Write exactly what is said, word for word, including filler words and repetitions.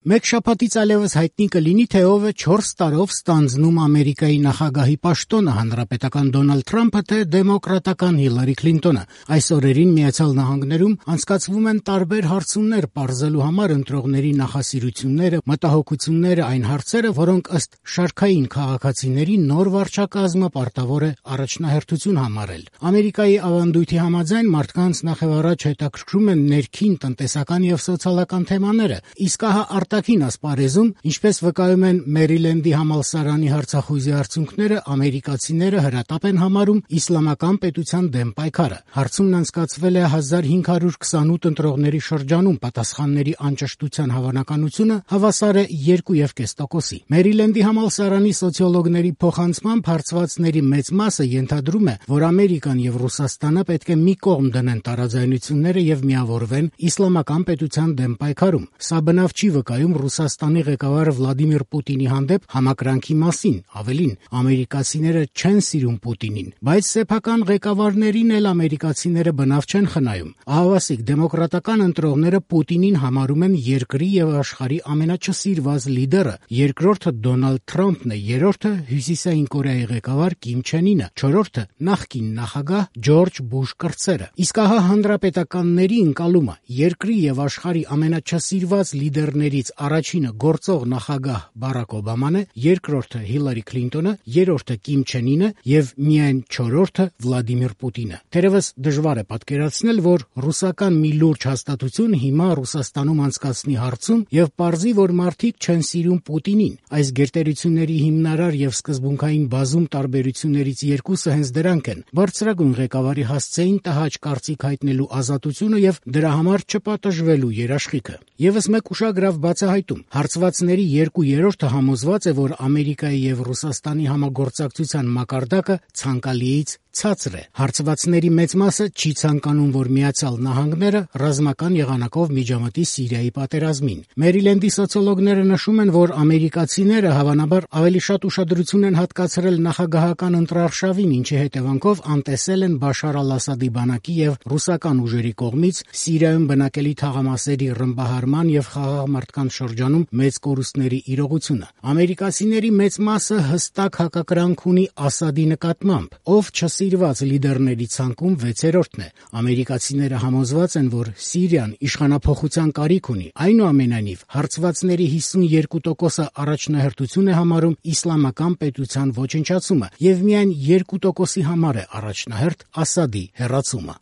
Մեկ շաբաթից այլևս հայտնի կլինի, թե ով է չորս տարով ստանձնում Ամերիկայի նախագահի պաշտոնը, հանրապետական Դոնալդ Թրամփը, թե դեմոկրատական Հիլարի Քլինտոնը։ Այս օրերին Միացյալ Նահանգներում անցկացվում են տարբեր հարցումներ պարզելու համար ընտրողների նախասիրությունները, մտահոգությունները, այն հարցերը, որոնք ըստ շարքային քաղաքացիների նոր վարչակազմը պարտավոր է առաջնահերթություն համարել։ Ամերիկայի ավանդույթի համաձայն մարդկանց նախևառաջ հետաքրքրում են ներքին տնտեսական եւ սոցիալական թեմաները, իսկ ահա արտաքին ասպարեզում, ինչպես վկայում են Մերիլենդի համալսարանի հարցախույզի արդյունքները, ամերիկացիները հրատապ են համարում իսլամական պետության դեմ պայքարը։ Հարցումն անցկացվել է հազար հինգ հարյուր քսանութ ընտրողների շրջանում, պատասխանների անճշտության հավանականությունը հավասար է երկու եւ կես տոկոսի։ Մերիլենդի համալսարանի սոցիոլոգների փոխանցմամբ հարցվածների մեծ մասը ենթադրում է, որ Ամերիկան եւ Ռուսաստանը պետք է մի կողմ դնեն տարաձայնությունները եւ միավորվեն իսլամական պետության դեմ պայքարում։ Սա բնավ չի վկայում Ռուսաստանի ղեկավար Վլադիմիր Պուտինի հանդեպ համակրանքի մասին, ավելին, ամերիկացիները չեն սիրում Պուտինին, բայց սեփական ղեկավարներին էլ ամերիկացիները բնավ չեն խնայում։ Ահավասիկ դեմոկրատական ընտրողները Պուտինին համարում են երկրի եւ աշխարհի ամենաչսիրված լիդերը, երկրորդը Դոնալդ Թրամփն է, երրորդը Հյուսիսային Կորեայի ղեկավար Կիմ Չեն Ինը, չորրորդը նախկին նախագահ Ջորջ Բուշ կրտսերը։ Իսկ ահա հանրապետականների ընկալումը երկրի եւ աշխարհի ամենաչսիրված լիդերներից առաջինը գործող նախագահ Բարակ Օբաման է, երկրորդը Հիլարի Քլինտոնը, երրորդը Կիմ Չեն Ինը եւ միայն չորրորդը Վլադիմիր Պուտինը։ Թերևս դժվար է պատկերացնել, որ ռուսական մի լուրջ հաստատություն հիմա Ռուսաստանում անցկացնի հարցում եւ պարզի, որ մարդիկ չեն սիրում Պուտինին։ Այս գերտերությունների հիմնարար եւ սկզբունքային բազում տարբերություններից երկուսը հենց դրանք են՝ բարձրագույն ղեկավարի հասցեին տհաճ կարծիք հայտնելու ազատությունը եւ դրա համար չպատժվելու երաշխիքը։ Եվս մեկ ուշագրավ բացահայտում. հարցվածների երկու երրորդը համոզված է, որ Ամերիկայի եւ Ռուսաստանի համագործակցության մակարդակը ցանկալիից ցածր է։ Հարցվածների մեծ մասը չի ցանկանում, որ Միացյալ Նահանգները ռազմական եղանակով միջամտի Սիրիայի պատերազմին։ Մերիլենդի սոցիոլոգները նշում են, որ ամերիկացիները հավանաբար ավելի շատ ուշադրություն են հատկացրել նախագահական ընտրարշավին, ինչի հետևանքով անտեսել են Բաշար Ալ-Ասադի բանակի եւ ռուսական ուժերի կողմից Սիրիայում բնակելի թաղամասերի ռմբահարման եւ խաղաղ մարդկանց շրջանում մեծ կորուստների իրողությունը։ Ամերիկացիների մեծ մասը հստակ հակակրանք ունի Ասադի նկատմամբ, ով չսիրված լիդերների ցանկում վեցերորդն է։ Ամերիկացիները համոզված են, որ Սիրիան իշխանափոխության կարիք ունի։ Այնուամենայնիվ, հարցվածների հիսունյոթ տոկոսը առաջնահերթություն է համարում իսլամական պետության ոչնչացումը եւ միայն երկու տոկոսի համար է առաջնահերթ Ասադի հեռացումը։